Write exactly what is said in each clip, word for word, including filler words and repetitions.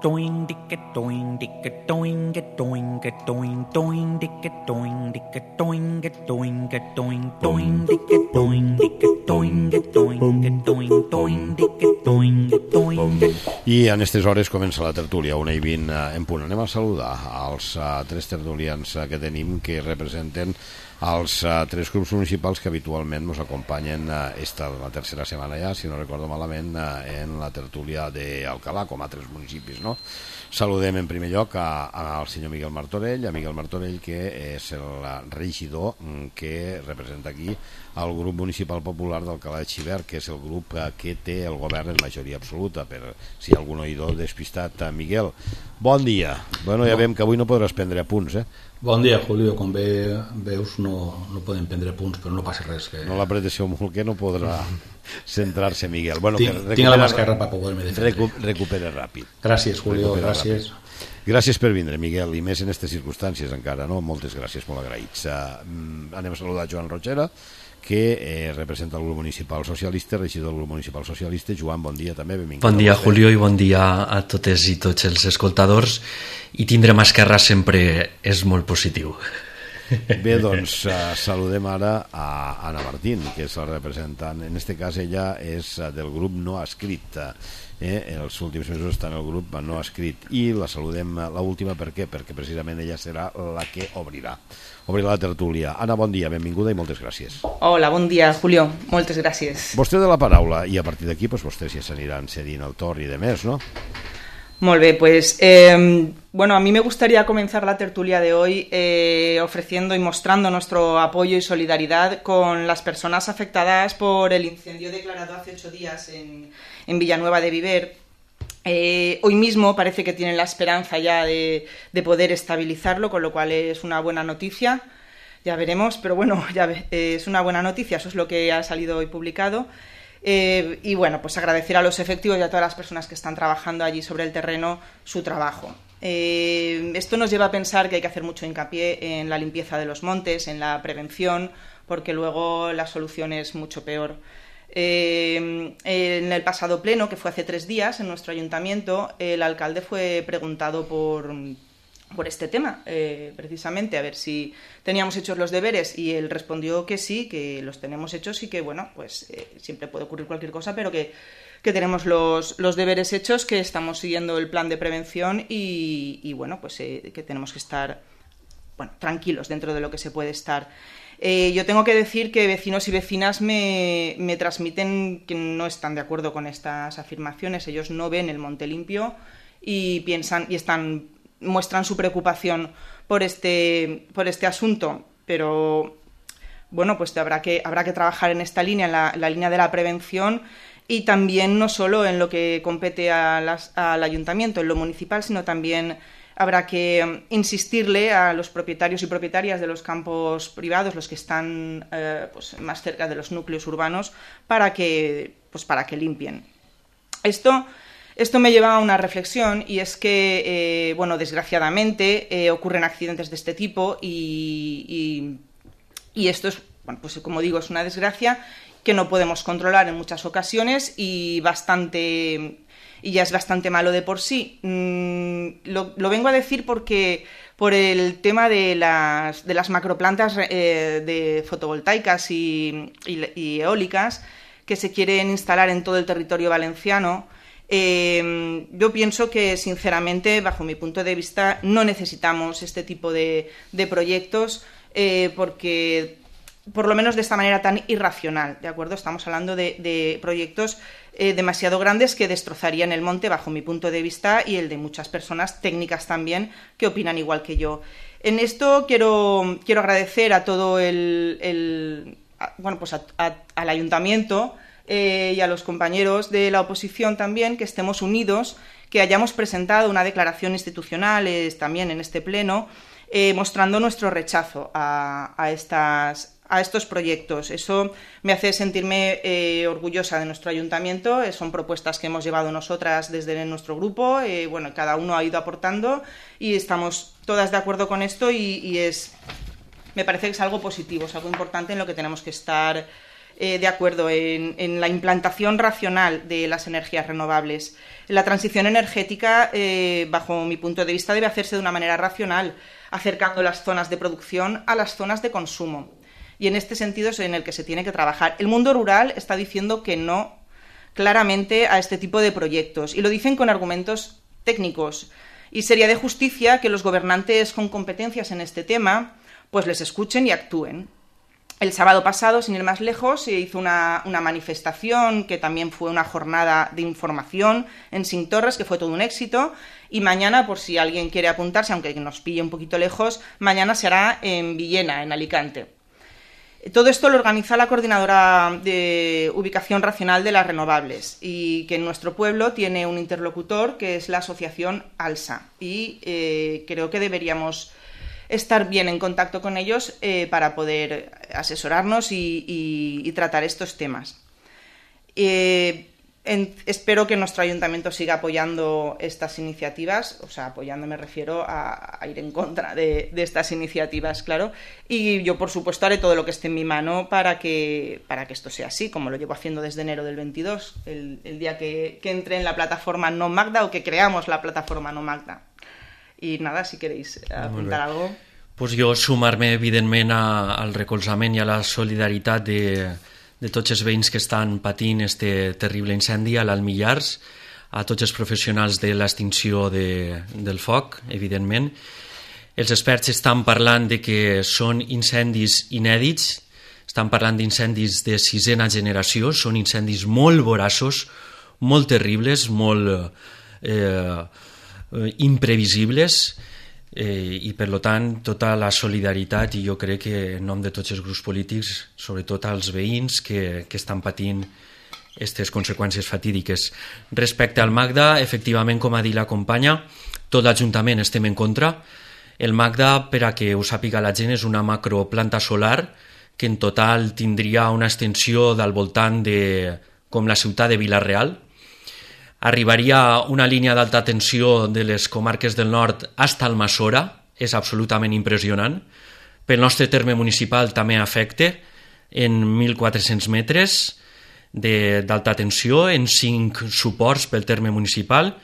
doing dicka doing dicka doing get doing get doing doing dicka doing dicka doing get doing get doing doing dicka doing dicka doing get doing get doing doing dicka doing get doing. I en aquestes hores comença la tertúlia, una i vint en punt. Anem a saludar als uh, tres tertulians uh, que tenim, que representen els uh, tres grups municipals que habitualment ens acompanyen uh, esta la tercera setmana ja, si no recordo malament, uh, en la tertúlia d'Alcalà, com a tres municipis, no? Saludem en primer lloc a, a, al senyor Miguel Martorell, a Miguel Martorell, que és el regidor que representa aquí el grup municipal popular d'Alcalà de Xivert, que és el grup que té el govern en majoria absoluta, per si hi ha algun oïdor despistat. Miguel, bon dia. Bueno, ja veiem que avui no podràs prendre apunts, eh? Bon dia, Julio. Com bé veus, no, no podem prendre punts, però no passa res. Que... No l'apreteixeu molt, que no podrà centrar-se, Miguel. Bueno, tinc, que recupera, tinc la mascarra per poder-me defendre. Recu, recupera ràpid. Gràcies, Julio, recupera gràcies. Ràpid. Gràcies per vindre, Miguel, i més en aquestes circumstàncies encara, no? Moltes gràcies, molt agraïts. Uh, anem a saludar Joan Rogera, que eh, representa el grup municipal socialista, regidor del grup municipal socialista. Joan, bon dia també, benvingut. Bon dia, Julio, i bon dia a totes i tots els escoltadors. I tindre mascarra sempre és molt positiu. Bé, doncs uh, saludem ara a Anna Martín, que és la representant. En aquest cas ella és uh, del grup no escrit. Eh? Els últims mesos està en el grup no escrit. I la saludem uh, l'última, per què? Perquè precisament ella serà la que obrirà. Obrirà la tertúlia. Anna, bon dia, benvinguda i moltes gràcies. Hola, bon dia, Julio. Moltes gràcies. Vostè de la paraula, i a partir d'aquí pues, vostès ja s'aniran cedint el torn i de més, no? Muy bien, pues eh, bueno, a mí me gustaría comenzar la tertulia de hoy eh, ofreciendo y mostrando nuestro apoyo y solidaridad con las personas afectadas por el incendio declarado hace ocho días en, en Villanueva de Viver. Eh, hoy mismo parece que tienen la esperanza ya de, de poder estabilizarlo, con lo cual es una buena noticia. Ya veremos, pero bueno, ya ve, eh, es una buena noticia, eso es lo que ha salido hoy publicado. Eh, y bueno, pues agradecer a los efectivos y a todas las personas que están trabajando allí sobre el terreno su trabajo. Eh, esto nos lleva a pensar que hay que hacer mucho hincapié en la limpieza de los montes, en la prevención, porque luego la solución es mucho peor. Eh, en el pasado pleno, que fue hace tres días en nuestro ayuntamiento, el alcalde fue preguntado por... por este tema, eh, precisamente, a ver si teníamos hechos los deberes, y él respondió que sí, que los tenemos hechos y que, bueno, pues eh, siempre puede ocurrir cualquier cosa, pero que, que tenemos los, los deberes hechos, que estamos siguiendo el plan de prevención y, y bueno, pues eh, que tenemos que estar, bueno, tranquilos dentro de lo que se puede estar. Eh, yo tengo que decir que vecinos y vecinas me, me transmiten que no están de acuerdo con estas afirmaciones. Ellos no ven el monte limpio y piensan y están... muestran su preocupación por este, por este asunto, pero bueno, pues habrá que, habrá que trabajar en esta línea, en la, la línea de la prevención, y también no solo en lo que compete a las, al ayuntamiento, en lo municipal, sino también habrá que insistirle a los propietarios y propietarias de los campos privados, los que están eh, pues más cerca de los núcleos urbanos, para que, pues para que limpien. Esto... Esto me lleva a una reflexión, y es que, eh, bueno, desgraciadamente eh, ocurren accidentes de este tipo y, y, y esto es, bueno, pues como digo, es una desgracia que no podemos controlar en muchas ocasiones y bastante y ya es bastante malo de por sí. Mm, lo, lo vengo a decir porque por el tema de las, de las macroplantas eh, de fotovoltaicas y, y, y eólicas que se quieren instalar en todo el territorio valenciano. Eh, yo pienso que, sinceramente, bajo mi punto de vista, no necesitamos este tipo de, de proyectos eh, porque, por lo menos de esta manera tan irracional, ¿de acuerdo? Estamos hablando de, de proyectos eh, demasiado grandes que destrozarían el monte, bajo mi punto de vista, y el de muchas personas técnicas también que opinan igual que yo. En esto quiero, quiero agradecer a todo el... el a, bueno, pues a, a, al ayuntamiento, Eh, y a los compañeros de la oposición también, que estemos unidos, que hayamos presentado una declaración institucional eh, también en este pleno, eh, mostrando nuestro rechazo a, a, estas, a estos proyectos. Eso me hace sentirme eh, orgullosa de nuestro ayuntamiento. Eh, son propuestas que hemos llevado nosotras desde nuestro grupo. Eh, bueno, cada uno ha ido aportando y estamos todas de acuerdo con esto, y, y es, me parece que es algo positivo, es algo importante en lo que tenemos que estar eh, de acuerdo en, en la implantación racional de las energías renovables. La transición energética, eh, bajo mi punto de vista, debe hacerse de una manera racional, acercando las zonas de producción a las zonas de consumo. Y en este sentido es en el que se tiene que trabajar. El mundo rural está diciendo que no claramente a este tipo de proyectos, y lo dicen con argumentos técnicos. Y sería de justicia que los gobernantes con competencias en este tema pues les escuchen y actúen. El sábado pasado, sin ir más lejos, se hizo una, una manifestación que también fue una jornada de información en Cinctorres, que fue todo un éxito, y mañana, por si alguien quiere apuntarse, aunque nos pille un poquito lejos, mañana se hará en Villena, en Alicante. Todo esto lo organiza la Coordinadora de Ubicación Racional de las Renovables, y que en nuestro pueblo tiene un interlocutor que es la asociación ALSA, y eh, creo que deberíamos estar bien en contacto con ellos eh, para poder asesorarnos y, y, y tratar estos temas. Eh, en, espero que nuestro ayuntamiento siga apoyando estas iniciativas, o sea, apoyando me refiero a, a ir en contra de, de estas iniciativas, claro, y yo, por supuesto, haré todo lo que esté en mi mano para que, para que esto sea así, como lo llevo haciendo desde enero del veintidós, el, el día que, que entre en la plataforma No Magda, o que creamos la plataforma No Magda. I nada, si queréis apuntar algo. Pues jo sumar-me, evidentment, a, al recolzament i a la solidaritat de, de tots els veïns que estan patint este terrible incendi a l'Almillars, a tots els professionals de l'extinció de, del foc, evidentment. Els experts estan parlant de que són incendis inèdits, estan parlant d'incendis de sisena generació, són incendis molt voraços, molt terribles, molt eh, imprevisibles, eh, i per tant tota la solidaritat, i jo crec que en nom de tots els grups polítics, sobretot als veïns que, que estan patint aquestes conseqüències fatídiques. Respecte al Magda, efectivament, com ha dit la companya, tot l'Ajuntament estem en contra. El Magda, per a que ho sàpiga la gent, és una macroplanta solar que en total tindria una extensió del voltant de com la ciutat de Vila-real. Arribaria una línia d'alta tensió de les comarques del nord fins al Almassora, és absolutament impressionant. Pel nostre terme municipal també afecta en mil quatre-cents metres d'alta tensió, en cinc suports pel terme municipal,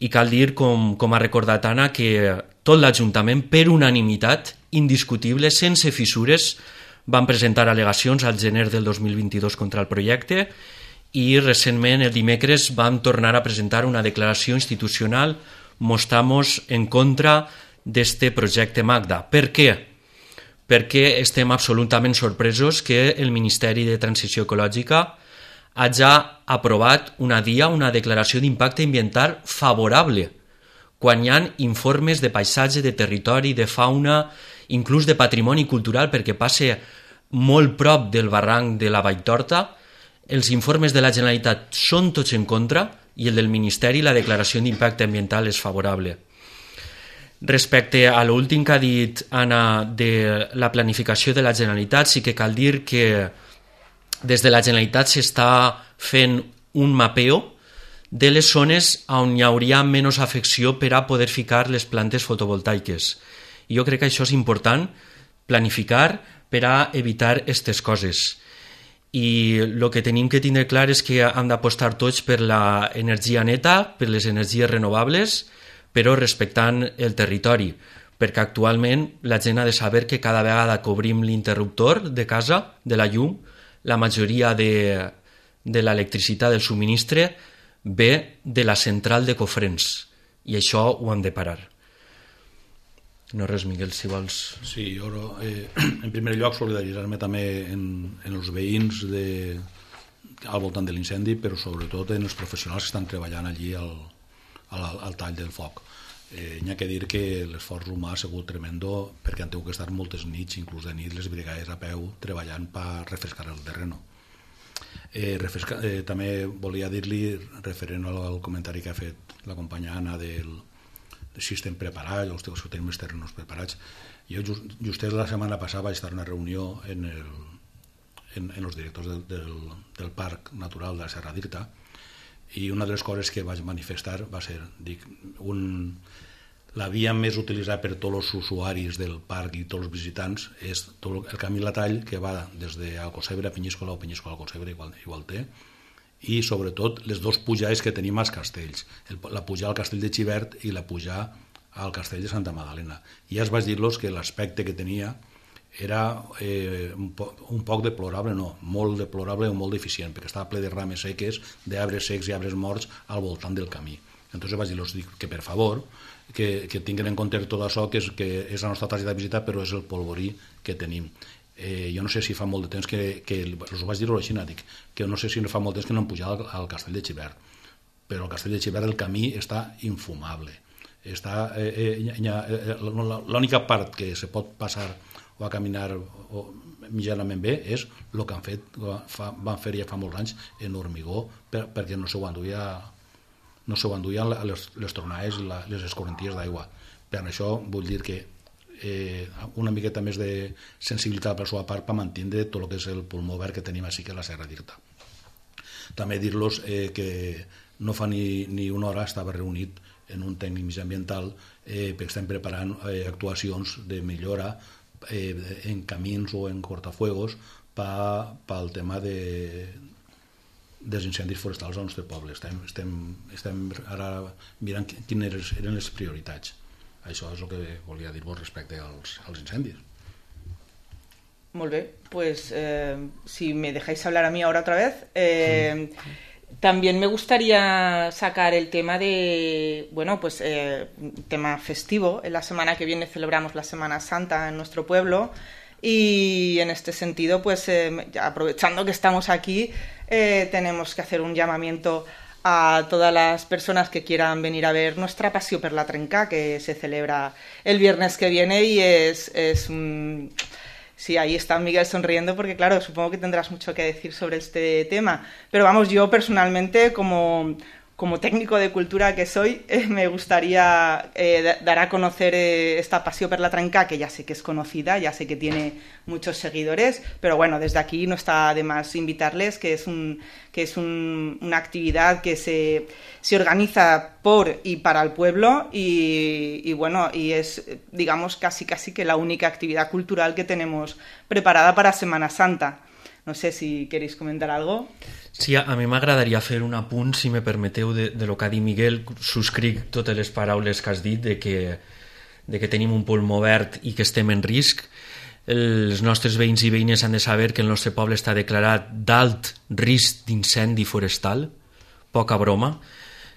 i cal dir, com, com ha recordat Anna, que tot l'Ajuntament, per unanimitat, indiscutible, sense fissures, van presentar al·legacions al gener del dos mil vint-i-dos contra el projecte, i recentment, el dimecres, vam tornar a presentar una declaració institucional mostramos en contra d'este projecte Magda. Per què? Perquè estem absolutament sorpresos que el Ministeri de Transició Ecològica hagi aprovat una D I A, una declaració d'impacte ambiental favorable, quan hi ha informes de paisatge, de territori, de fauna, inclús de patrimoni cultural, perquè passa molt prop del barranc de la Valltorta. Els informes de la Generalitat són tots en contra i el del Ministeri, la declaració d'impacte ambiental, és favorable. Respecte a l'últim que ha dit Anna de la planificació de la Generalitat, sí que cal dir que des de la Generalitat s'està fent un mapeo de les zones on hi hauria menys afecció per a poder ficar les plantes fotovoltaiques. I jo crec que això és important, planificar per a evitar aquestes coses. I el que tenim que tindre clar és que hem d'apostar tots per l'energia neta, per les energies renovables, però respectant el territori, perquè actualment la gent ha de saber que cada vegada que obrim l'interruptor de casa, de la llum, la majoria de, de l'electricitat del subministre ve de la central de Cofrents, i això ho hem de parar. No res, Miguel, si vols... Sí, jo, eh, en primer lloc, solidaritzar-me també en, en els veïns de, al voltant de l'incendi, però sobretot en els professionals que estan treballant allí al, al, al tall del foc. Eh, n'hi ha que dir que l'esforç humà ha sigut tremendo, perquè han tingut que estar moltes nits, inclús de nit, les brigades a peu, treballant per refrescar el terreno. Eh, refresca, eh, també volia dir-li, referent al, al comentari que ha fet la companya Anna del si estem preparats, o si tenim els terrenos preparats. Jo just, just la setmana passada vaig estar en una reunió en, el, en, en els directors del, del, del Parc Natural de la Serra d'Irta, i una de les coses que vaig manifestar va ser, dic, un, la via més utilitzada per tots els usuaris del parc i tots els visitants és tot el camí Latall, que va des d'Alcossebre a Penyíscola o Penyíscola a Alcossebre, igual, igual té, i sobretot les dues pujades que tenim als castells, el, la pujada al castell de Xivert i la pujada al castell de Santa Magdalena. I ja es vaig dir-los que l'aspecte que tenia era eh, un, po un poc deplorable, no, molt deplorable o molt deficient, perquè estava ple de rames seques, d'arbres secs i arbres morts al voltant del camí. Entonces vaig dir-los que per favor que, que tinguin en compte tot això, que és, que és la nostra targeta de visita, però és el polvorí que tenim. Eh, jo no sé si fa molt de temps que, que us ho vaig dir-ho així, dic, que no sé si fa molt temps que no hem pujat al, al castell de Xivert, però al castell de Xivert el camí està infumable. Està, eh, eh, eh, l'única part que se pot passar o a caminar o mitjanament bé és el que han fet, fa, van fer ja fa molts anys en hormigó, per, perquè no s'ho enduia no s'ho enduien les, les tronades i les escorrenties d'aigua. Per això vull dir que eh, una miqueta més de sensibilitat per la seva part per mantenir tot el que és el pulmó verd que tenim així que la Serra d'Irta. També dir-los eh, que no fa ni, ni una hora estava reunit en un tècnic mitjambiental eh, perquè estem preparant eh, actuacions de millora eh, en camins o en cortafuegos pel tema de dels incendis forestals al nostre poble. Estem, estem, estem ara mirant quines eren les prioritats. Això és el que volia dir-vos respecte als, als incendis. Molt bé, pues eh, si me dejáis hablar a mí ahora otra vez, eh, sí. También me gustaría sacar el tema de, bueno, pues eh, tema festivo. En la semana que viene celebramos la Semana Santa en nuestro pueblo. Y en este sentido, pues eh, aprovechando que estamos aquí, eh, tenemos que hacer un llamamiento a todas las personas que quieran venir a ver nuestra Passió per la Trenca, que se celebra el viernes que viene y es, es un... Sí, ahí está Miguel sonriendo porque, claro, supongo que tendrás mucho que decir sobre este tema. Pero vamos, yo personalmente, como... como técnico de cultura que soy, eh, me gustaría eh, dar a conocer eh, esta Passió per la Trenca, que ya sé que es conocida, ya sé que tiene muchos seguidores, pero bueno, desde aquí no está de más invitarles, que es, un, que es un, una actividad que se, se organiza por y para el pueblo y, y bueno, y es, digamos, casi casi que la única actividad cultural que tenemos preparada para Semana Santa. No sé si queréis comentar algo. Sí, a mi m'agradaria fer un apunt, si me permeteu, de, de lo que ha dit Miguel. Subscric totes les paraules que has dit de que, de que tenim un pulmó verd i que estem en risc. Els nostres veïns i veïnes han de saber que el nostre poble està declarat d'alt risc d'incendi forestal, poca broma,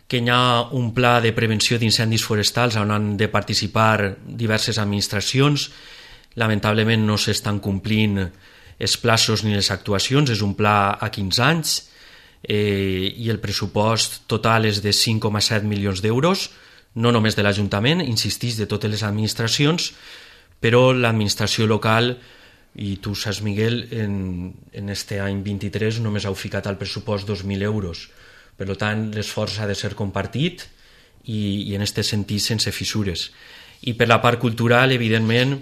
que hi ha un pla de prevenció d'incendis forestals on han de participar diverses administracions. Lamentablement no s'estan complint els plaços ni les actuacions, és un pla a quinze anys eh, i el pressupost total és de cinc coma set milions d'euros, no només de l'Ajuntament, insistís, de totes les administracions, però l'administració local, i tu saps, Miguel, en, en este any vint-i-tres només heu ficat al pressupost dos mil euros. Per tant, l'esforç ha de ser compartit i, i en aquest sentit sense fissures. I per la part cultural, evidentment,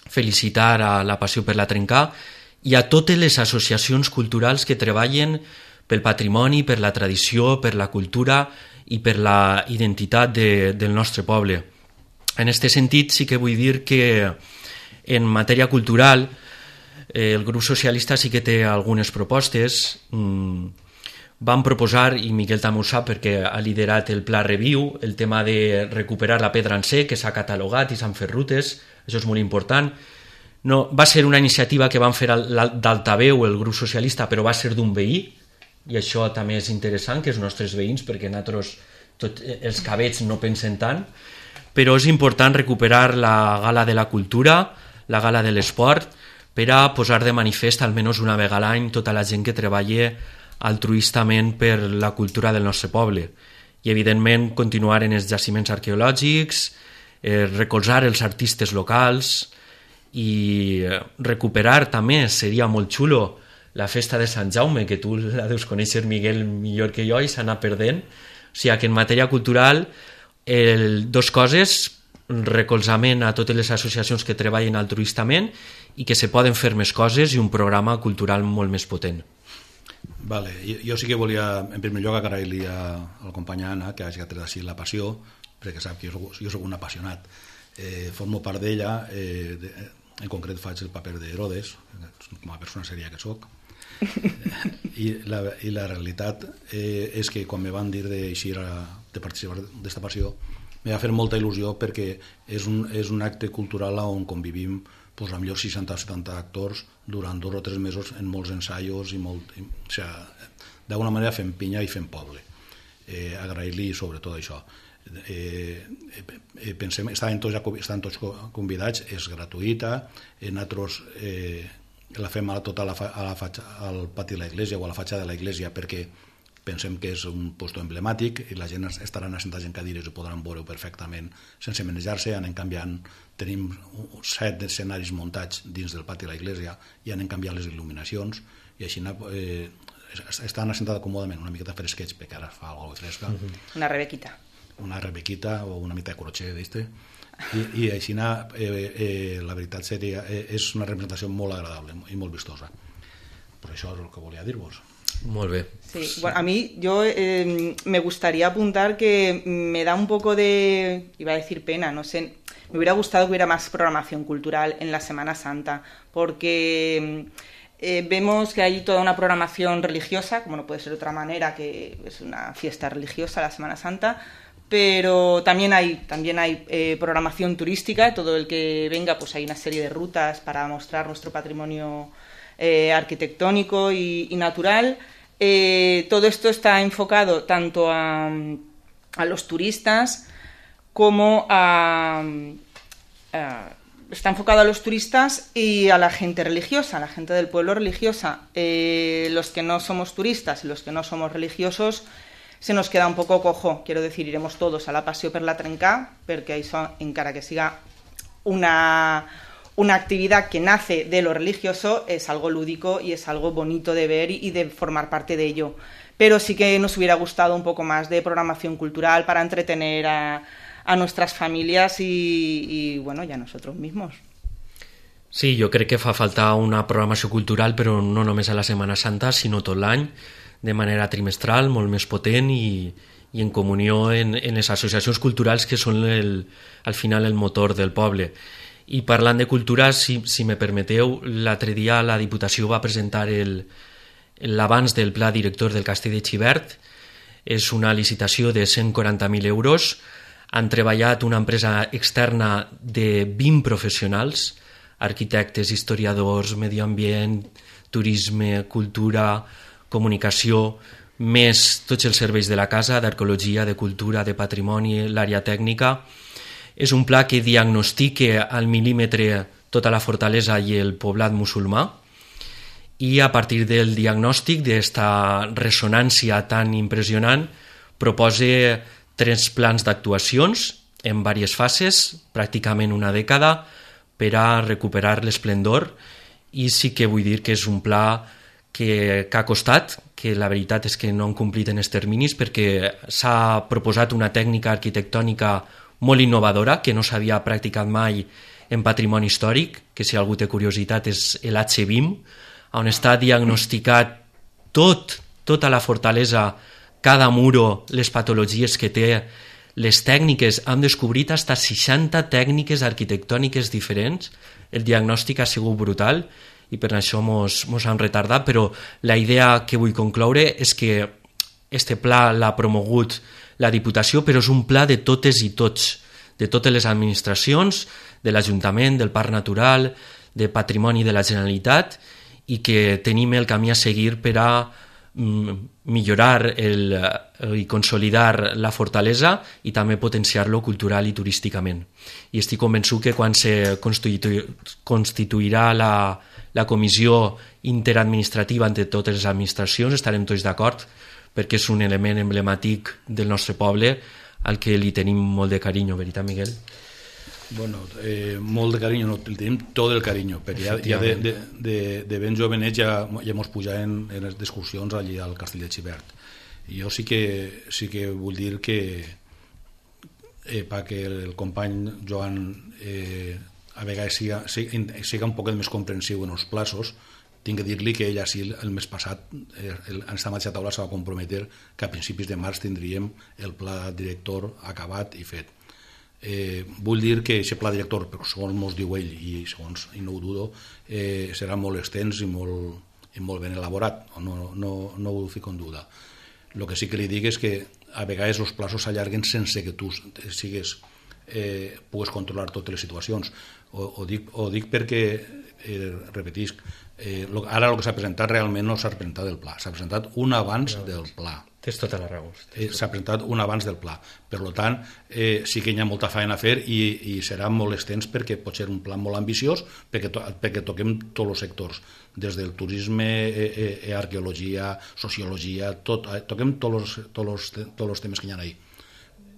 felicitar a la Passió per la Trenca i a totes les associacions culturals que treballen pel patrimoni, per la tradició, per la cultura i per la identitat de, del nostre poble. En aquest sentit, sí que vull dir que en matèria cultural eh, el grup socialista sí que té algunes propostes. Mm, vam proposar, i Miquel també ho sap perquè ha liderat el Pla Reviu, el tema de recuperar la pedra en sec, que s'ha catalogat i s'han fet rutes, això és molt important. No, va ser una iniciativa que van fer d'Altaveu el grup socialista, però va ser d'un veí, i això també és interessant, que els nostres veïns, perquè nosaltres tot, els cabets no pensen tant, però és important recuperar la gala de la cultura, la gala de l'esport, per a posar de manifest almenys una vegada a l'any tota la gent que treballa altruistament per la cultura del nostre poble. I evidentment continuar en els jaciments arqueològics, eh, recolzar els artistes locals i recuperar també, seria molt xulo, la festa de Sant Jaume, que tu la deus conèixer, Miguel, millor que jo, i s'ha anat perdent. O sigui que en matèria cultural, el, dos coses, recolzament a totes les associacions que treballen altruistament i que se poden fer més coses i un programa cultural molt més potent. Vale. Jo, jo sí que volia, en primer lloc, agrair-li al company Anna que hagi tret així la passió, perquè sap que jo, jo soc un apassionat. Eh, formo part d'ella, eh, de, en concret faig el paper d'Herodes, com a persona seria que soc. I la, i la realitat eh, és que quan me van dir d'eixir de participar d'esta passió me va fer molta il·lusió, perquè és un, és un acte cultural on convivim pues, amb millor seixanta o setanta actors durant dos o tres mesos en molts ensaios i molt, i, o sigui, d'alguna manera fem pinya i fem poble. Eh, agrair-li sobretot això. Eh, eh, pensem, estaven tots, estaven tots convidats, és gratuïta, eh, nosaltres eh, la fem a tota la, a la fatxa, al pati de l'església o a la fatxa de l'església, perquè pensem que és un lloc emblemàtic i la gent estaran assentats en cadires i podran veure perfectament sense manejar-se. Anem canviant, tenim set escenaris muntats dins del pati de l'església i anem canviant les il·luminacions i així eh, estan assentats còmodament, una miqueta fresquets, perquè ara fa alguna cosa fresca. Una rebequita. Una rebequita o una mica de crotxer, ¿viste? I, i així eh, eh, la veritat seria, eh, és una representació molt agradable i molt vistosa. Per això és el que volia dir-vos. Molt bé. Sí, bueno, a mí yo eh, me gustaría apuntar que me da un poco de, iba a decir pena, no sé, me hubiera gustado que hubiera más programación cultural en la Semana Santa, porque eh, vemos que hay toda una programación religiosa, como no puede ser de otra manera, que es una fiesta religiosa la Semana Santa, pero también hay, también hay eh, programación turística. Todo el que venga, pues hay una serie de rutas para mostrar nuestro patrimonio eh, arquitectónico y, y natural. Eh, todo esto está enfocado tanto a, a los turistas como a, a... Está enfocado a los turistas y a la gente religiosa, a la gente del pueblo religiosa. Eh, los que no somos turistas y los que no somos religiosos se nos queda un poco cojo. Quiero decir, iremos todos a la Passió per la Trencà, perquè això, encara que siga una, una actividad que nace de lo religioso, es algo lúdico y es algo bonito de ver y de formar parte de ello. Pero sí que nos hubiera gustado un poco más de programación cultural para entretener a, a nuestras familias y, y, bueno, y a nosotros mismos. Sí, jo crec que fa falta una programació cultural, però no només a la Setmana Santa, sinó tot l'any, de manera trimestral, molt més potent i, i en comunió en, en les associacions culturals que són el, al final el motor del poble. I parlant de cultura, si, si me permeteu, l'altre dia la Diputació va presentar l'avanç del pla director del Castell de Xivert. És una licitació de cent quaranta mil euros. Han treballat una empresa externa de vint professionals, arquitectes, historiadors, medi ambient, turisme, cultura, comunicació, més tots els serveis de la casa, d'arqueologia, de cultura, de patrimoni, l'àrea tècnica. És un pla que diagnostica al mil·límetre tota la fortalesa i el poblat musulmà, i a partir del diagnòstic d'esta ressonància tan impressionant proposa tres plans d'actuacions en diverses fases, pràcticament una dècada, per a recuperar l'esplendor. I sí que vull dir que és un pla que, que ha costat, que la veritat és que no han complit en els terminis, perquè s'ha proposat una tècnica arquitectònica molt innovadora que no s'havia practicat mai en patrimoni històric, que si algú té curiositat és l'H B I M, on està diagnosticat tot, tota la fortalesa, cada muro, les patologies que té, les tècniques. Hem descobrit fins a seixanta tècniques arquitectòniques diferents. El diagnòstic ha sigut brutal i per això mos, mos han retardat, però la idea que vull concloure és que este pla l'ha promogut la Diputació, però és un pla de totes i tots, de totes les administracions, de l'Ajuntament, del Parc Natural, de Patrimoni de la Generalitat, i que tenim el camí a seguir per a mm, millorar el, i consolidar la fortalesa i també potenciar-lo cultural i turísticament. I estic convençut que quan se constitu constituirà la, la comissió interadministrativa entre totes les administracions estarem tots d'acord, perquè és un element emblemàtic del nostre poble al que li tenim molt de carinyo, veritat, Miguel? Bueno, eh, molt de carinyo, no, tenim tot el carinyo, perquè ja, ja de, de, de, de ben jovenets ja, ja mos pujaven en les excursions allí al Castell de Xivert. I jo sí que, sí que vull dir que eh, perquè el company Joan eh, a vegades siga, siga, siga un poc més comprensiu en els plaços, tinc que dir-li que ella sí, el mes passat, eh, en aquesta mateixa taula se va comprometer que a principis de març tindríem el pla director acabat i fet. Eh, vull dir que aquest pla director, però segons mos diu ell, i segons i no ho dudo, eh, serà molt extens i molt, i molt ben elaborat, no, no, no ho fico en duda. El que sí que li dic és que a vegades els plaços s'allarguen sense que tu sigues, eh, pugues controlar totes les situacions. O, o, dic, o dic perquè, eh, repetisc, eh, lo, ara el que s'ha presentat realment no s'ha presentat el pla, s'ha presentat un abans no, del pla. Tens tota la raó. Eh, s'ha presentat un abans del pla. Per tant, eh, sí que hi ha molta feina a fer i, i serà molt extens perquè pot ser un pla molt ambiciós perquè, to, perquè toquem tots els sectors, des del turisme, eh, eh, arqueologia, sociologia, tot, eh, toquem tots els, tots, els, tots els temes que hi ha ahí.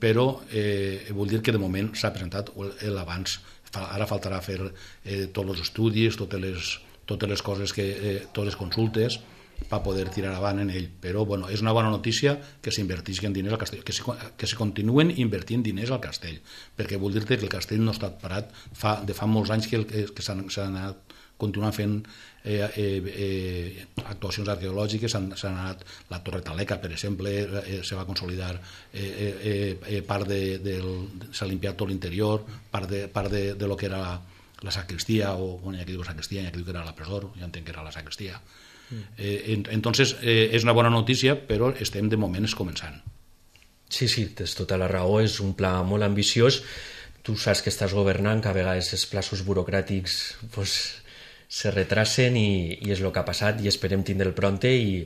Però eh, vull dir que de moment s'ha presentat l'abans. Ara faltarà fer eh, tots els estudis, totes les, totes les coses, que, eh, totes les consultes, per poder tirar avant en ell. Però bueno, és una bona notícia que s'invertisquen diners al castell, que se, que se continuen invertint diners al castell, perquè vull dir-te que el castell no ha estat parat fa, de fa molts anys que, que, que s'han anat continuant fent eh, eh, eh, actuacions arqueològiques, s'han anat la Torre Taleca, per exemple, eh, se va consolidar eh, eh, eh, part de, del, s'ha limpiat tot l'interior, part de, part de, de lo que era la sacristia, o bueno, hi ha qui diu sacristia, hi ha qui diu que era la presor, ja entenc que era la sacristia. Eh, entonces eh, és una bona notícia, però estem de moment començant. Sí, sí, tens tota la raó, és un pla molt ambiciós. Tu saps que estàs governant, que a vegades els plaços burocràtics pues, se retrasen i, i és el que ha passat i esperem tindre'l pronte i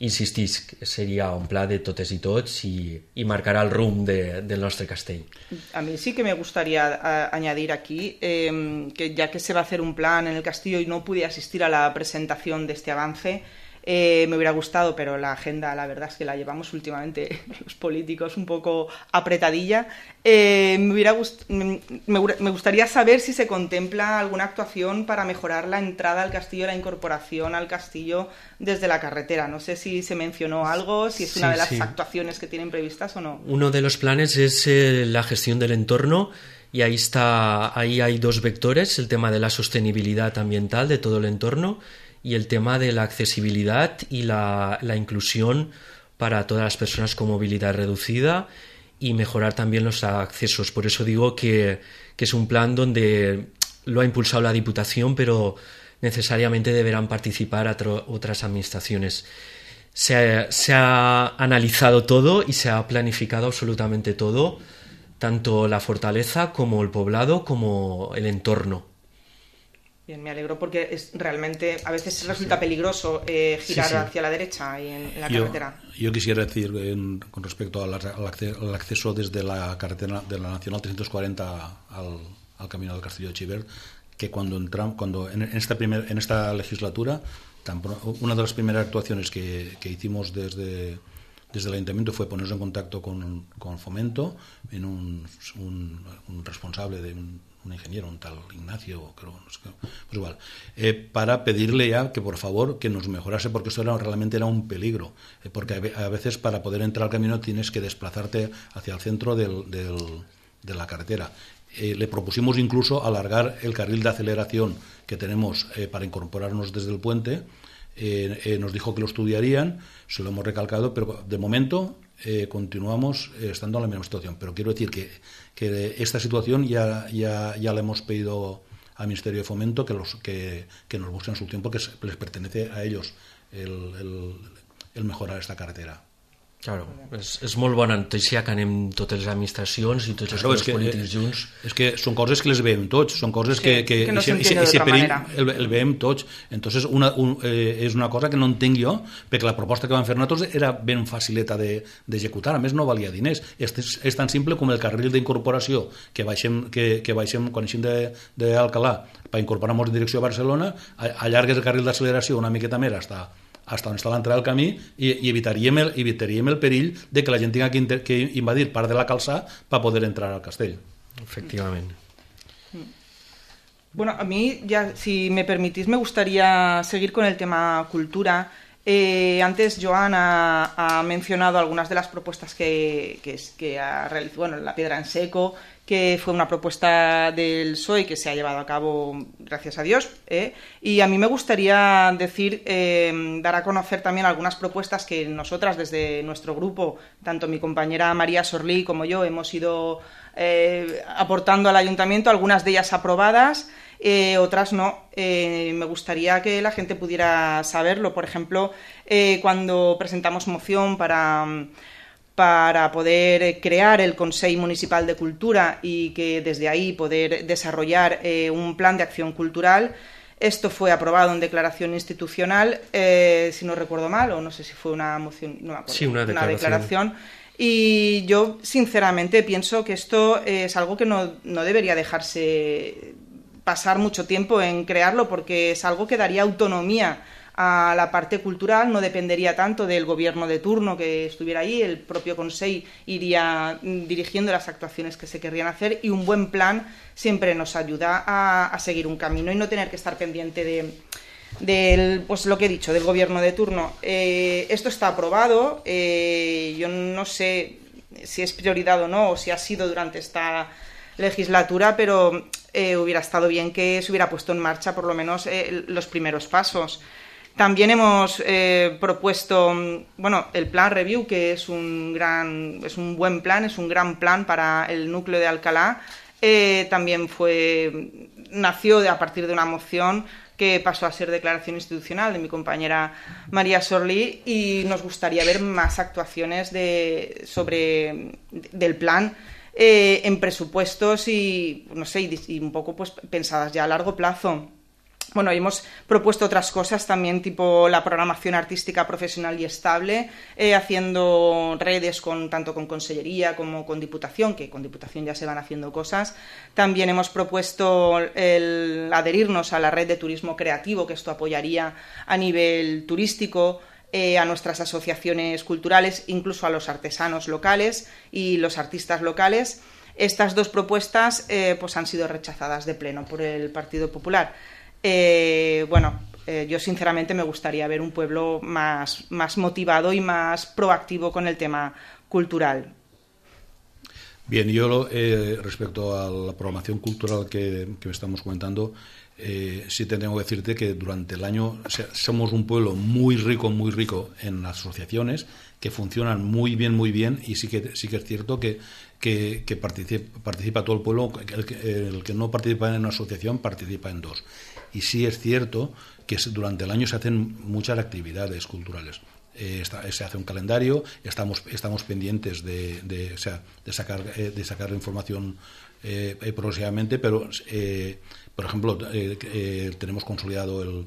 insistisc, seria un pla de totes i tots i, y marcará el rumb de, del nostre castell. A mí sí que me gustaría a, añadir aquí eh, que ya que se va a hacer un plan en el castillo y no pude asistir a la presentación de este avance, eh, me hubiera gustado, pero la agenda la verdad es que la llevamos últimamente los políticos un poco apretadilla. Eh, me, hubiera gust me, me gustaría saber si se contempla alguna actuación para mejorar la entrada al castillo, la incorporación al castillo desde la carretera. No sé si se mencionó algo, si es una sí, de las sí. actuaciones que tienen previstas o no. Uno de los planes es eh, la gestión del entorno y ahí está, ahí hay dos vectores, el tema de la sostenibilidad ambiental de todo el entorno y el tema de la accesibilidad y la, la inclusión para todas las personas con movilidad reducida y mejorar también los accesos. Por eso digo que, que es un plan donde lo ha impulsado la Diputación, pero necesariamente deberán participar otro, otras administraciones. Se ha, se ha analizado todo y se ha planificado absolutamente todo, tanto la fortaleza como el poblado como el entorno. Bien, me alegro porque es realmente a veces resulta peligroso eh, girar sí, sí. hacia la derecha y en, en la yo, carretera. Yo quisiera decir en, con respecto al, al acceso desde la carretera de la Nacional trescientos cuarenta al, al camino del Castillo de Xivert, que cuando entramos, cuando en esta primer, en esta legislatura, tan, una de las primeras actuaciones que, que hicimos desde desde el Ayuntamiento fue ponernos en contacto con, con Fomento, en un, un, un responsable de un, un ingeniero, un tal Ignacio, creo, no sé, pues igual, eh, para pedirle ya que por favor que nos mejorase, porque esto era, realmente era un peligro, eh, porque a veces para poder entrar al camino tienes que desplazarte hacia el centro del, del, de la carretera. Eh, le propusimos incluso alargar el carril de aceleración que tenemos eh, para incorporarnos desde el puente. Eh, eh, nos dijo que lo estudiarían, se lo hemos recalcado, pero de momento eh, continuamos eh, estando en la misma situación. Pero quiero decir que, que esta situación ya, ya, ya le hemos pedido al Ministerio de Fomento que, los, que, que nos busquen su tiempo, que les pertenece a ellos el, el, el mejorar esta carretera. Claro, és, és molt bona notícia que anem totes les administracions i tots els claro, polítics eh, junts. És que són coses que les veiem tots, són coses que, sí, que, que no s'entén d'altra manera. El, el veiem tots. Entonces una, un, eh, és una cosa que no entenc jo, perquè la proposta que van fer nosaltres era ben facileta d'executar, de, a més no valia diners. És, és tan simple com el carril d'incorporació que baixem, que, que baixem quan eixim d'Alcalà per incorporar-nos en direcció a Barcelona, allargues el carril d'acceleració una miqueta més hasta hasta on està l'entrada del camí i, i evitaríem, el, evitaríem el perill de que la gent tinga que, inter, que invadir part de la calçada per poder entrar al castell. Efectivament. Bueno, a mí, ya, si me permitís, me gustaría seguir con el tema cultura. Eh, antes Joan ha, ha mencionado algunas de las propuestas que, que, que ha realizado, bueno, la piedra en seco, que fue una propuesta del P S O E que se ha llevado a cabo, gracias a Dios, ¿eh? Y a mí me gustaría decir, eh, dar a conocer también algunas propuestas que nosotras desde nuestro grupo, tanto mi compañera María Sorlí como yo, hemos ido eh, aportando al ayuntamiento, algunas de ellas aprobadas, eh, otras no. Eh, me gustaría que la gente pudiera saberlo. Por ejemplo, eh, cuando presentamos moción para... para poder crear el Consell Municipal de Cultura y que desde ahí poder desarrollar eh, un plan de acción cultural. Esto fue aprobado en declaración institucional, eh, si no recuerdo mal, o no sé si fue una moción, no me acuerdo, sí, una declaración. Una declaración. Y yo, sinceramente, pienso que esto es algo que no, no debería dejarse pasar mucho tiempo en crearlo, porque es algo que daría autonomía a la parte cultural, no dependería tanto del gobierno de turno que estuviera ahí, el propio Consell iría dirigiendo las actuaciones que se querrían hacer, y un buen plan siempre nos ayuda a, a seguir un camino y no tener que estar pendiente de, del, pues lo que he dicho, del gobierno de turno. Eh, esto está aprobado, eh, yo no sé si es prioridad o no, o si ha sido durante esta legislatura, pero eh, hubiera estado bien que se hubiera puesto en marcha por lo menos eh, los primeros pasos. También hemos eh, propuesto, bueno, el plan Review, que es un gran, es un buen plan, es un gran plan para el núcleo de Alcalá. Eh, también fue, nació de, a partir de una moción que pasó a ser declaración institucional de mi compañera María Sorlí, y nos gustaría ver más actuaciones de, sobre, del plan eh, en presupuestos y, no sé, y, y un poco pues pensadas ya a largo plazo. Bueno, hemos propuesto otras cosas también, tipo la programación artística profesional y estable, eh, haciendo redes con tanto con Consellería como con Diputación, que con Diputación ya se van haciendo cosas. También hemos propuesto el adherirnos a la red de turismo creativo, que esto apoyaría a nivel turístico, eh, a nuestras asociaciones culturales, incluso a los artesanos locales y los artistas locales. Estas dos propuestas eh, pues han sido rechazadas de pleno por el Partido Popular. Eh, bueno, eh, yo sinceramente me gustaría ver un pueblo más, más motivado y más proactivo con el tema cultural. Bien, yo eh, respecto a la programación cultural que, que estamos comentando, eh, sí te tengo que decirte que durante el año o sea, somos un pueblo muy rico, muy rico en asociaciones que funcionan muy bien, muy bien, y sí que, sí que es cierto que, que, que participa, participa todo el pueblo. El que, el que no participa en una asociación participa en dos. Y sí es cierto que durante el año se hacen muchas actividades culturales. Eh, está, se hace un calendario, estamos, estamos pendientes de, de, o sea, de, sacar, eh, de sacar información eh, progresivamente, pero, eh, por ejemplo, eh, eh, tenemos consolidado el,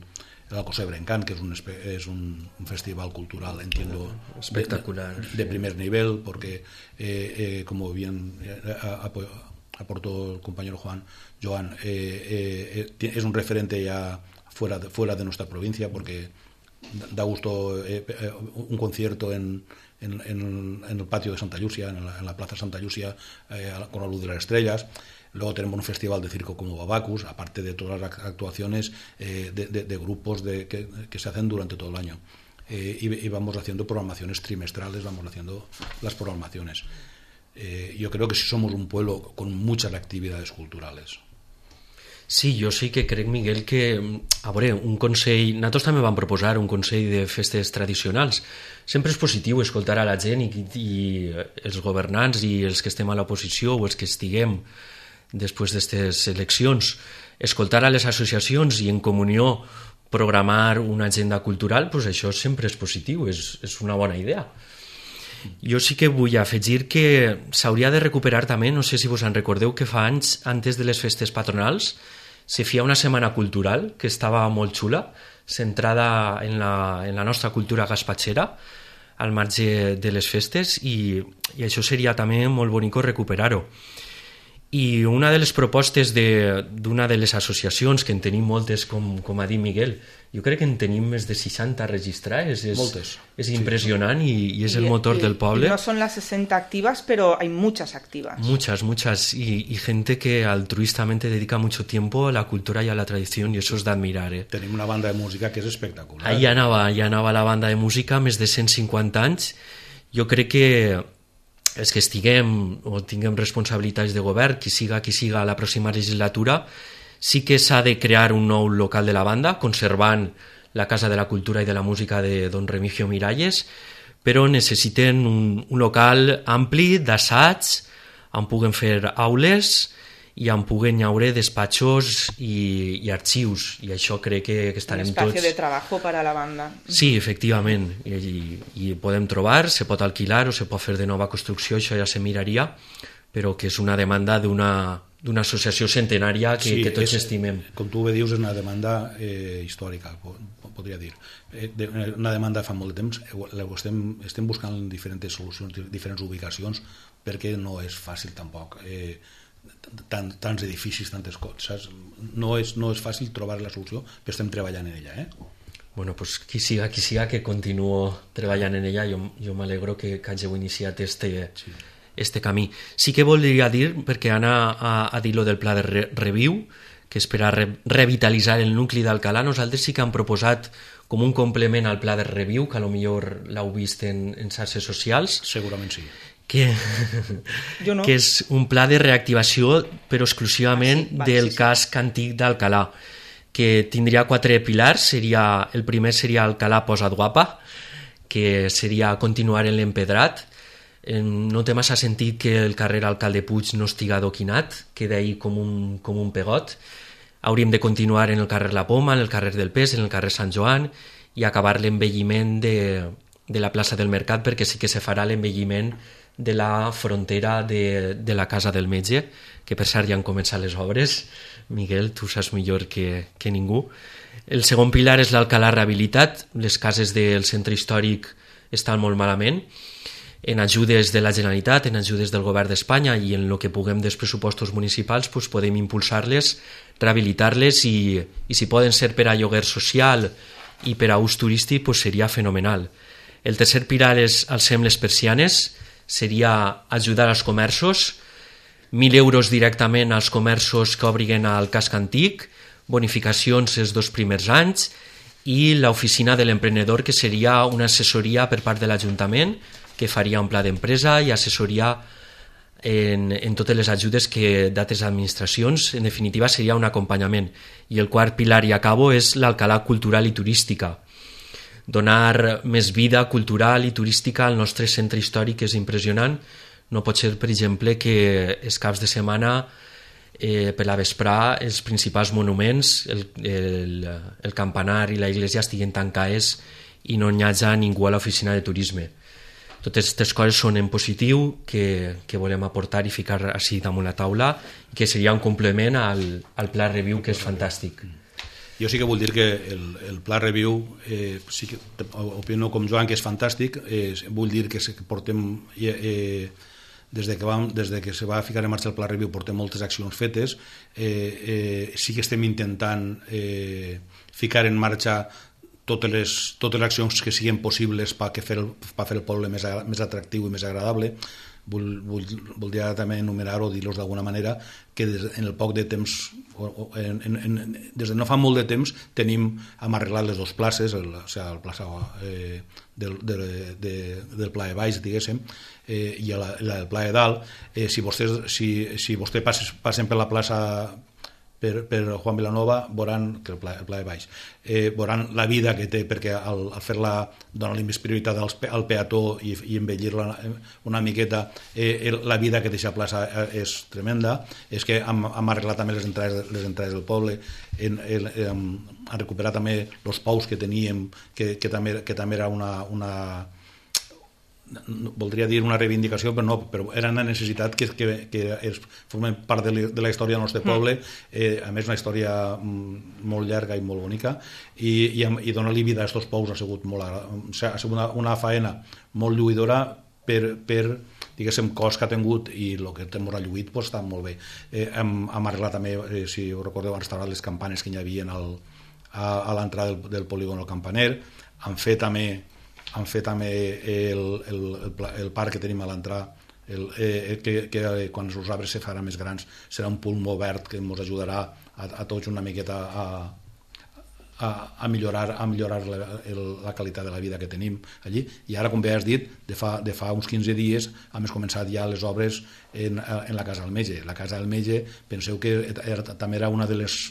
el Alcosser Brencán, que es un, es un, un festival cultural, entiendo, espectacular, de, de primer nivel, porque, eh, eh, como bien eh, aportó el compañero Juan, Joan, eh, eh, es un referente ya fuera de, fuera de nuestra provincia, porque da gusto eh, eh, un concierto en, en, en, en el patio de Santa Llúcia, en la, en la plaza Santa Llúcia, eh, con la luz de las estrellas. Luego tenemos un festival de circo como Babacus, aparte de todas las actuaciones eh, de, de, de grupos de, que, que se hacen durante todo el año. Eh, y, y vamos haciendo programaciones trimestrales, vamos haciendo las programaciones. Eh, yo creo que sí somos un pueblo con muchas actividades culturales. Sí, jo sí que crec, Miguel, que a veure, un consell, nosaltres també vam proposar un consell de festes tradicionals. Sempre és positiu escoltar a la gent i, i els governants i els que estem a l'oposició o els que estiguem després d'aquestes eleccions, escoltar a les associacions i en comunió programar una agenda cultural, doncs això sempre és positiu, és, és una bona idea. Jo sí que vull afegir que s'hauria de recuperar també, no sé si vos en recordeu, que fa anys, antes de les festes patronals, se feia una setmana cultural que estava molt xula, centrada en la, en la nostra cultura gaspatxera, al marge de les festes, i, i això seria també molt bonic recuperar-ho. I una de les propostes d'una de, de les associacions, que en tenim moltes, com, com ha dit Miguel, jo crec que en tenim més de seixanta registrades, és, moltes. És impressionant sí. i, i és el motor y, del poble. No son las sesenta activas, pero hay muchas activas. Muchas, muchas, y, y gente que altruistamente dedica mucho tiempo a la cultura y a la tradición, y eso es de admirar. Eh? Tenim una banda de música que és espectacular. Ahí anava, ahí anava la banda de música, més de cent cinquanta anys. Jo crec que els que estiguem o tinguem responsabilitats de govern, qui siga qui siga a la pròxima legislatura, sí que s'ha de crear un nou local de la banda, conservant la Casa de la Cultura i de la Música de don Remigio Miralles, però necessiten un, un local ampli d'assaig, on puguen fer aules i on puguen haure despatxos i, i arxius, i això crec que, que estarem tots... Un espacio de trabajo para la banda. Sí, efectivament, i, i, i podem trobar, se pot alquilar o se pot fer de nova construcció, això ja se miraria, però que és una demanda d'una d'una associació centenària que, sí, que tots és, estimem. Com tu bé dius, és una demanda eh, històrica, podria dir. Eh, de, una demanda fa molt de temps, estem, estem buscant diferents solucions, diferents ubicacions, perquè no és fàcil tampoc. Eh, tant, tants edificis, tantes coses. No és, no és fàcil trobar la solució, però estem treballant en ella. Eh? Bueno, pues qui siga, qui siga que continuo treballant en ella, jo, jo m'alegro que, que hàgiu iniciat este... Sí. este camí. Sí que voldria dir, perquè Anna ha, ha dit lo del pla de re Reviu, que és per a re revitalitzar el nucli d'Alcalà. Nosaltres sí que hem proposat com un complement al pla de Reviu, que a lo millor l'heu vist en, en xarxes socials. Segurament sí. Que, jo no. que és un pla de reactivació, però exclusivament ah, sí, del sí, sí. casc antic d'Alcalà, que tindria quatre pilars. Seria, el primer seria Alcalà Posa't Guapa, que seria continuar en l'empedrat. No té massa sentit que el carrer Alcalde Puig no estiga adoquinat, queda ahí com un, com un pegot. Hauríem de continuar en el carrer La Poma, en el carrer del Pes, en el carrer Sant Joan, i acabar l'envelliment de, de la plaça del Mercat, perquè sí que se farà l'envelliment de la frontera de, de la Casa del Metge, que per cert ja han començat les obres. Miguel, tu saps millor que, que ningú. El segon pilar és l'Alcalà rehabilitat. Les cases del centre històric estan molt malament. En ajudes de la Generalitat, en ajudes del Govern d'Espanya i en el que puguem dels pressupostos municipals, pues podem impulsar-les, rehabilitar-les i, i si poden ser per a lloguer social i per a ús turístic, pues seria fenomenal. El tercer pilar és alcem les persianes, seria ajudar als comerços, mil euros directament als comerços que obriguen al casc antic, bonificacions els dos primers anys i l'oficina de l'emprenedor, que seria una assessoria per part de l'Ajuntament, que faria un pla d'empresa i assessoria en, en totes les ajudes que d'altres administracions. En definitiva, seria un acompanyament. I el quart pilar, i acabo, és l'Alcalà cultural i turística. Donar més vida cultural i turística al nostre centre històric és impressionant. No pot ser, per exemple, que els caps de setmana eh, per la vesprà els principals monuments, el, el, el campanar i la iglesia estiguin tancades i no hi hagi ningú a l'oficina de turisme. Totes aquestes coses són en positiu que, que volem aportar i ficar així damunt la taula, i que seria un complement al, al Pla Reviu, que és fantàstic. Jo sí que vull dir que el, el Pla Reviu, eh, sí que opino com Joan que és fantàstic, eh, vull dir que portem... Eh, des de, que vam, des de que se va ficar en marxa el Pla Reviu portem moltes accions fetes, eh, eh, sí que estem intentant eh, ficar en marxa totes les, totes les accions que siguin possibles per fer, el, per fer el poble més, més atractiu i més agradable. Vull, vull, voldria també enumerar o dir-los d'alguna manera que des, en el poc de temps, o, o, en, en, des de no fa molt de temps, tenim hem arreglat les dues places, el, o sigui, el plaça eh, del, de, de, del Pla de Baix, diguéssim, eh, i la, la del Pla de Dalt. Eh, si vostès, si, si vostè passes, passen per la plaça Per, per Juan Vilanova, veuran que el pla, el pla de baix, eh, veuran la vida que té, perquè al, al fer-la donar-li més prioritat al, al peató i, i embellir-la una miqueta, eh, la vida que deixa plaça és tremenda. És que hem, hem arreglat també les entrades, les entrades del poble, hem, hem, hem recuperat també els pous que teníem, que, que, també, que també era una... una voldria dir una reivindicació, però no, però era una necessitat que, que, que és, formen part de la, de la història del nostre poble, eh, a més una història molt llarga i molt bonica, i, i, i donar-li vida a aquests pous ha sigut, molt, ha sigut una, una faena molt lluïdora per, per diguéssim, cost que ha tingut, i el que hem relluït pues, està molt bé. Eh, hem, hem arreglat també, eh, si ho recordeu, han restaurat les campanes que hi havia al, a, a l'entrada del, del polígon del Campaner, han fet també han fet també el, el, el, el parc que tenim a l'entrada, eh, que, que quan els arbres se faran més grans serà un pulmó verd que ens ajudarà a, a tots una miqueta a, a, a millorar, a millorar la, el, la qualitat de la vida que tenim allí. I ara, com bé has dit, de fa, de fa uns quinze dies hem començat ja les obres en, en la Casa del Metge. La Casa del Metge, penseu que era, també era una de les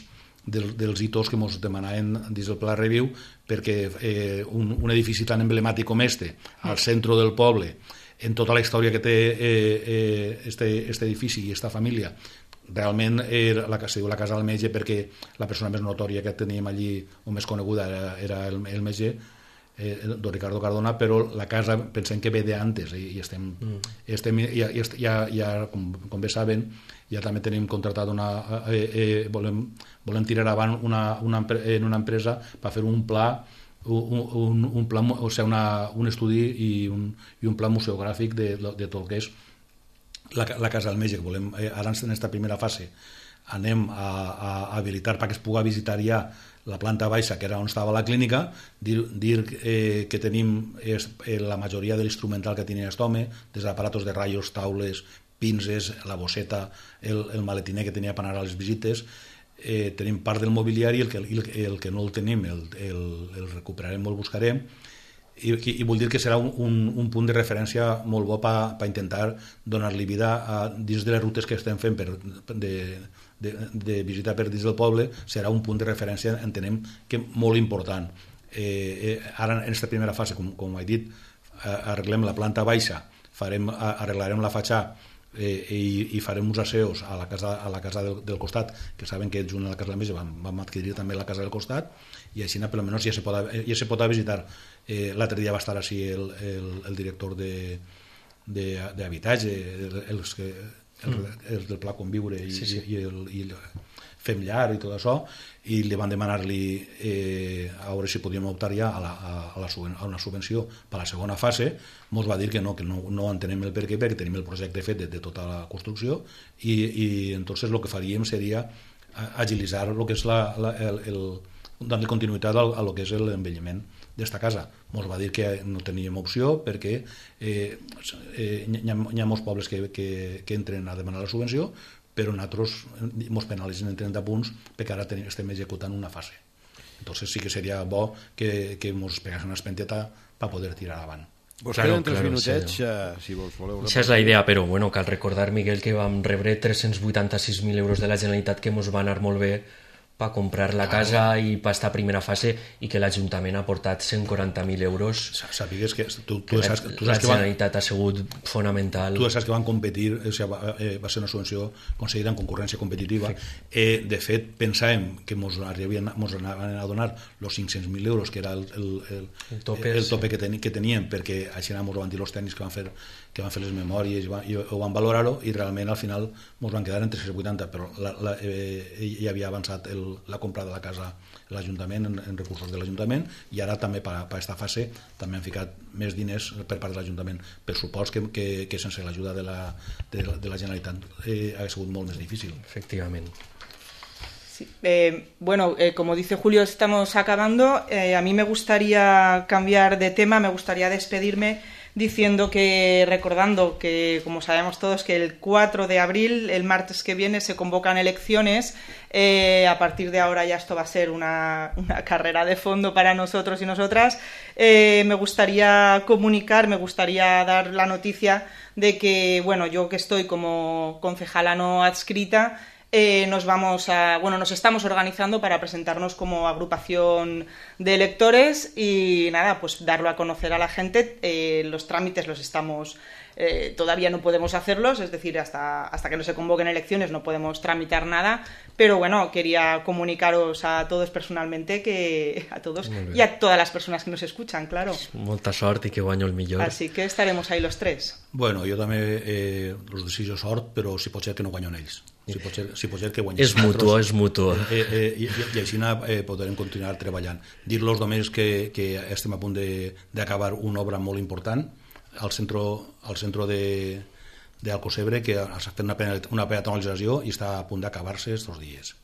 Del, dels hitos que ens demanaven dins del Pla Reviu, perquè eh, un, un edifici tan emblemàtic com este, al centre del poble, en tota la història que té eh, eh, este, este edifici i esta família, realment era la, se diu la Casa del Metge perquè la persona més notòria que teníem allí o més coneguda era, era el, el metge, eh, don Ricardo Cardona, però la casa pensem que ve d'antes i, i estem, mm. estem ja, ja, ja com, com bé saben, ja també tenim contratat una eh, eh, volem, volem tirar avant una, una, en una empresa per fer un pla un, un, un pla, o sigui, una, un estudi i un, i un pla museogràfic de, de tot el que és la, la Casa del Metge, que volem, eh, ara en aquesta primera fase anem a, a habilitar perquè es pugui visitar ja la planta baixa, que era on estava la clínica, dir, dir eh, que tenim eh, la majoria de l'instrumental que tenia aquest home, des d'aparatos de raios, taules, pinces, la bosseta, el, el maletiner que tenia per anar a les visites, eh, tenim part del mobiliari, el que, el, el que no el tenim el, el, el recuperarem o el buscarem, i, i vull dir que serà un, un, un punt de referència molt bo per pa intentar donar-li vida a, dins de les rutes que estem fent per, de, de, de visitar per dins del poble, serà un punt de referència, entenem que molt important. Eh, eh, ara en aquesta primera fase, com, com he dit, arreglem la planta baixa, farem, arreglarem la fatxada, Eh, i, i farem uns asseus a la casa, a la casa del, del costat, que saben que junt a la Casa del Metge vam, vam adquirir també la casa del costat, i així per almenys ja se pot, ja se pot visitar. Eh, l'altre dia va estar així el, el, el director d'habitatge, el, els, el, el del Pla Conviure i, sí, sí. i, el, i el Fem Llar i tot això, i li van demanar-li eh, a veure si podíem optar ja a, la, a, la, a una subvenció per a la segona fase. Ens va dir que no, que no, no entenem el per què, perquè tenim el projecte fet de, de tota la construcció, i, i entonces el que faríem seria agilitzar el que és la, la, el, el, donar continuïtat a, a lo que és l'envelliment d'esta casa. Ens va dir que no teníem opció perquè eh, eh, hi, ha, hi ha molts pobles que, que, que entren a demanar la subvenció, però nosaltres ens penalitzen en trenta punts perquè ara tenim, estem executant una fase. Entonces sí que seria bo que, que ens peguessin una espenteta per poder tirar avant. Vos claro, queden tres claro, minutets, sí. uh, si vols voleu... Això és la idea, però bueno, cal recordar, Miguel, que vam rebre tres-cents vuitanta-sis mil euros de la Generalitat que ens va anar molt bé per comprar la casa ah, i per esta primera fase, i que l'Ajuntament ha portat cent quaranta mil euros. Sàpigues que tu, tu que saps, tu la saps Generalitat que van, ha sigut fonamental. Tu saps que van competir, o sigui, va, eh, va ser una subvenció concedida en concurrència competitiva. Eh, de fet, pensàvem que ens anaven a donar els cinc-cents mil euros, que era el, el, el, el tope, el tope sí. que, ten, que teníem, perquè així ens ho van dir els tècnics que van fer, que van fer les memòries i, van, i ho van valorar-ho, i realment al final ens van quedar en tres-cents vuitanta, però la, la, eh, ja havia avançat el, la compra de la casa l'Ajuntament en, en recursos de l'Ajuntament, i ara també per a aquesta fase també han ficat més diners per part de l'Ajuntament, per supost que, que, que sense l'ajuda de, la, de, de la Generalitat eh, ha sigut molt més difícil. Efectivament. Sí. Eh, bueno, eh, como dice Julio, estamos acabando. Eh, a mí me gustaría cambiar de tema, me gustaría despedirme diciendo que, recordando que, como sabemos todos, que el cuatro de abril, el martes que viene, se convocan elecciones. Eh, a partir de ahora ya esto va a ser una, una carrera de fondo para nosotros y nosotras. Eh, me gustaría comunicar, me gustaría dar la noticia de que, bueno, yo que estoy como concejala no adscrita, Eh, nos vamos a, bueno, nos estamos organizando para presentarnos como agrupación de electores y nada, pues darlo a conocer a la gente. Eh, los trámites los estamos, eh, todavía no podemos hacerlos, es decir, hasta, hasta que no se convoquen elecciones no podemos tramitar nada, pero bueno, quería comunicaros a todos personalmente, que a todos y a todas las personas que nos escuchan, claro. Molta sort i que guanyo el millor. Así que estaremos ahí los tres. Bueno, jo també eh, els desitjo sort, però si pot ser que no guanyen ells. Si pot ser, si pot ser que guanyem és mutuo, és mutuo. Eh, eh, i, i així eh, podrem continuar treballant. Dir-los només que, que estem a punt d'acabar una obra molt important al centre, al centre de, de Alcocebre, que s'ha fet una, una peatonalització i està a punt d'acabar-se estos dies.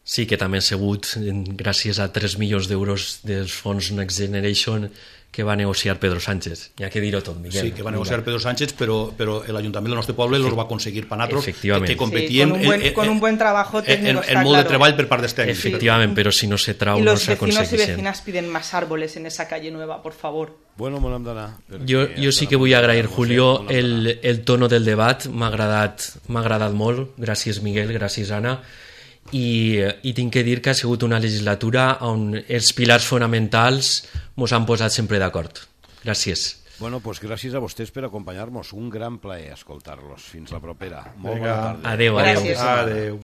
Sí, que també ha sigut gràcies a tres milions d'euros dels fons Next Generation que va negociar Pedro Sánchez. Hi ha que dir-ho tot, Miguel. Sí, que va negociar Pedro Sánchez, pero, pero el Ayuntamiento del nostre poble los va conseguir para nosaltres, Efectivamente. que competíem sí, con, un buen, en, con un buen trabajo técnico, en, está en modo claro. de treball per part dels tècnics. Efectivament, però si no se trau y no los s'aconsegueixen. vecinos y vecinas piden más árboles en esa calle nueva, por favor. Bueno, me n'hem d'anar. Jo, jo sí que vull agrair, Julio, el, el tono del debat. M'ha agradat, m'ha agradat molt. Gràcies, Miguel, gràcies, Anna. I, i tinc que dir que ha sigut una legislatura on els pilars fonamentals mos han posat sempre d'acord. Gràcies. Bueno, pues gràcies a vostès per acompanyar-nos. Un gran plaer escoltar-los. Fins la propera. Molt Vinga. bona tarda. Adéu, adéu. Gràcies. Adéu.